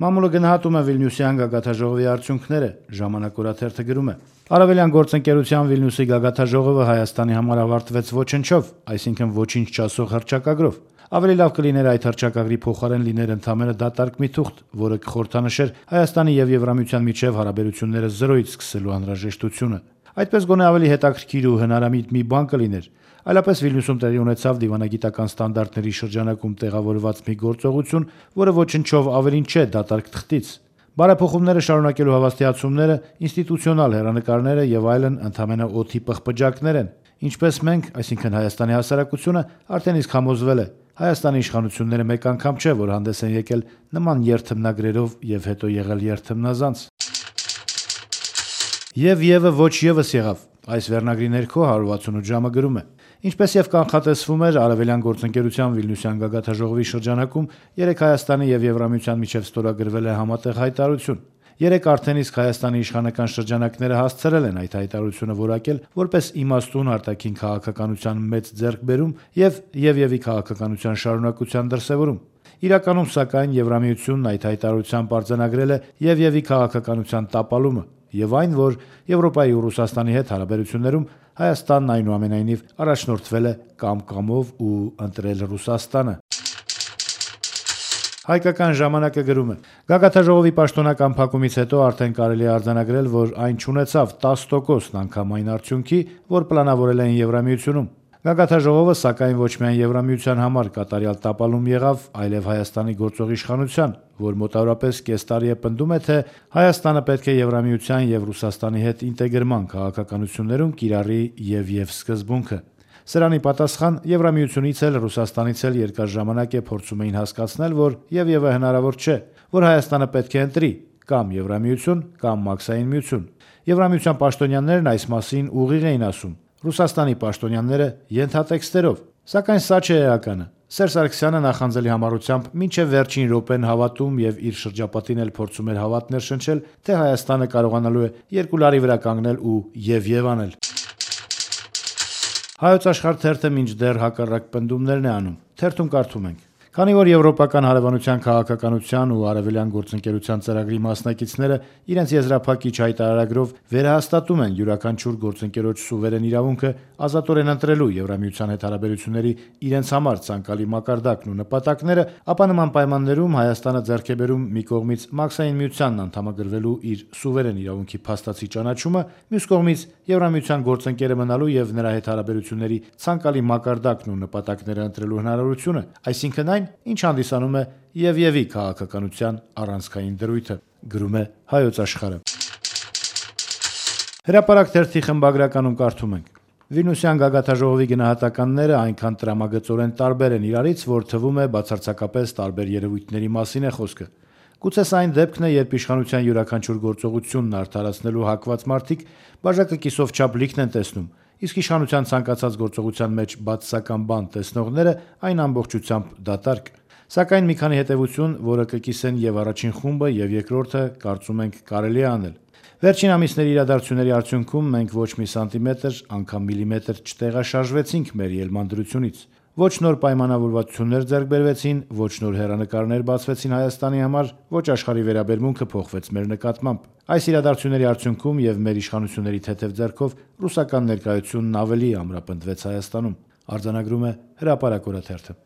Մամուլը գնահատում է Վիլնյուսյան գագաթաժողովի արդյունքները, ժամանակ օրաթերթը գրում է. Արևելյան գործընկերության Վիլնյուսի գագաթաժողովը Հայաստանի համար ավարտվեց ոչնչով, այսինքն ոչինչ չասող հռչակագրով։ Ավելի լավ կլիներ այդ հռչակագրի փոխարեն լիներ ընդամենը դատարկ մի թուղթ, որը կխորհրդանշեր Հայաստանի եւ Եվրամիության միջև հարաբերությունները զրոյից սկսելու անհրաժեշտությունը։ Այդպես գոնե ավելի հետաքրքիր ու հնարամիտ մի բան կլիներ։ Այլապես Վիլնյուսում տեղի ունեցավ դիվանագիտական ստանդարտների շրջանակում տեղավորված մի գործողություն, որը ոչնչով ավելին չէ դատարկ թղթից։ Բարեփոխումները շարունակելու հավաստիացումները, ինստիտուցիոնալ հեռանկարները եւ այլն ընդամենը օդի պղպջակներ են։ Ինչպես մենք, այսինքն Հայաստանի հասարակությունը, արդեն իսկ համոզվել է, Հայաստանի իշխանությունները մեկ անգամ չէ, որ հանդես են եկել նման երթմնագրերով եւ հետո եղել երթմնազանց։ Եվը ոչ եւս եղավ։ Այս վերնագրի ներքո 168 ժամը գրում է. Ինչպես եւ կանխատեսվում էր, Արևելյան գործընկերության Վիլնյուսյան գագաթաժողովի շրջանակում 3 Հայաստանի եւ Եվրամիության միջև ստորագրվել է համատեղ հայտարարություն։ 3 արդեն իսկ Հայաստանի իշխանական շրջանակները հասցրել են այդ հայտարարությունը որակել որպես իմաստուն արտաքին քաղաքականության մեծ ձեռքբերում եւ քաղաքականության շարունակության դրսեւորում։ Իրականում, սակայն, Եվրամիությունն այդ հայտարարությամբ արձանագրել է եւ քաղաքականության տապալումը եւ այն, որ Եվրոպայի ու Ռուսաստանի հետ հարաբերություններում Հայաստանն այնուամենայնիվ առաջնորդվել է կամ-կամով ու ընտրել Ռուսաստանը։ Հայկական ժամանակը գրում է. Գագաթաժողովի պաշտոնական փակումից հետո արդեն կարելի է արձանագրել, որ այն չունեցավ 10% անգամ այն արդյունքի, որ պլանավորել էին Եվրամիությունում։ Գագաթաժողովը, սակայն, ոչ միայն Եվրամիության համար կատարյալ տապալում եղավ, այլև Հայաստանի գործող իշխանության, որ մոտավորապես կես տարի է պնդում է, թե Հայաստանը պետք է Եվրամիության եւ Ռուսաստանի հետ ինտեգրման քաղաքականություններում կիրառի եւ սկզբունքը։ Սրանի պատասխան Եվրամիությունից էլ Ռուսաստանից էլ երկար ժամանակ է փորձում էին հասկացնել, որ եւը հնարավոր չէ, որ Հայաստանը պետք է ընտրի կամ Եվրամիություն կամ Մաքսային միություն։ Եվրամիության պաշտոնյաներն այս մասին ուղիղ էին ասում, Ռուսաստանի պաշտոնյաները ենթատեքստերով, սակայն սա չէ էականը։ Սերժ Սարգսյանը նախանձելի համառությամբ մինչև վերջին րոպեն հավատում եւ իր շրջապատին էլ փորձում էր հավատներ շնչել, թե Հայաստանը կարողանալու է երկու լարի վրա կանգնել ու եւ անել։ Հայոց աշխարհ թերթը մինչդեռ հակառակ պնդումներն է անում։ Թերթում կարդում ենք. Քանի որ Եվրոպական հարևանության քաղաքականության ու արևելյան գործընկերության ծրագրի մասնակիցները իրենց եզրափակիչ հայտարարագրով վերահաստատում են յուրաքանչյուր գործընկերոջ սուվերեն իրավունքը ազատորեն ընտրելու Եվրամիության հետ հարաբերությունների իրենց համար ցանկալի մակարդակն ու նպատակները, ապա նման պայմաններում Հայաստանը ձեռք է բերում մի կողմից Մաքսային միությանն անդամագրվելու իր սուվերեն իրավունքի փաստացի ճանաչումը, մյուս կողմից Եվրամիության գործընկերը մնալու եւ նրա հետ հարաբերությունների ցանկալի մակարդակն ու նպատակները ընտրելու հնարավորությունը, այսինքն ինչ հանդիսանում է եւի քաղաքականության առանցքային դրույթը, գրում է Հայոց աշխարհը։ Հրապարակ թերթի խմբագրականում կարդում ենք. Վիլնյուսյան գագաթաժողովի գնահատականները այնքան տրամագծորեն տարբեր են իրարից, որ թվում է բացարձակապես տարբեր երևույթների մասին է խոսքը։ Գուցե սա այն դեպքն է, երբ իշխանության յուրաքանչյուր գործողությունն արդարացնելու հակված մարդիկ բաժակը կիսով չափ լիքն են տեսնում, իսկ իշխանության ցանկացած գործողության մեջ բացասական բան տեսնողները այն ամբողջությամբ դատարկ։ Սակայն մի քանի հետևություն, որը կկիսեն եւ առաջին խումբը եւ երկրորդը, կարծում ենք կարելի է անել։ Վերջին ամիսների իրադարձությունների արդյունքում մենք ոչ մի սանտիմետր, անգամ միլիմետր չտեղաշարժվեցինք մեր ելման դրությունից։ Ոչ նոր պայմանավորվածություններ ձեռք բերվեցին, ոչ նոր հեռանկարներ բացվեցին Հայաստանի համար, ոչ աշխարհի վերաբերմունքը փոխվեց մեր նկատմամբ։ Այս իրադարձությունների արդյունքում եւ մեր իշխանությունների թեթև ձեռքով ռուսական ներկայությունն ավելի ամրապնդվեց Հայաստանում, արձանագրում է Հրապարակ օրաթերթը։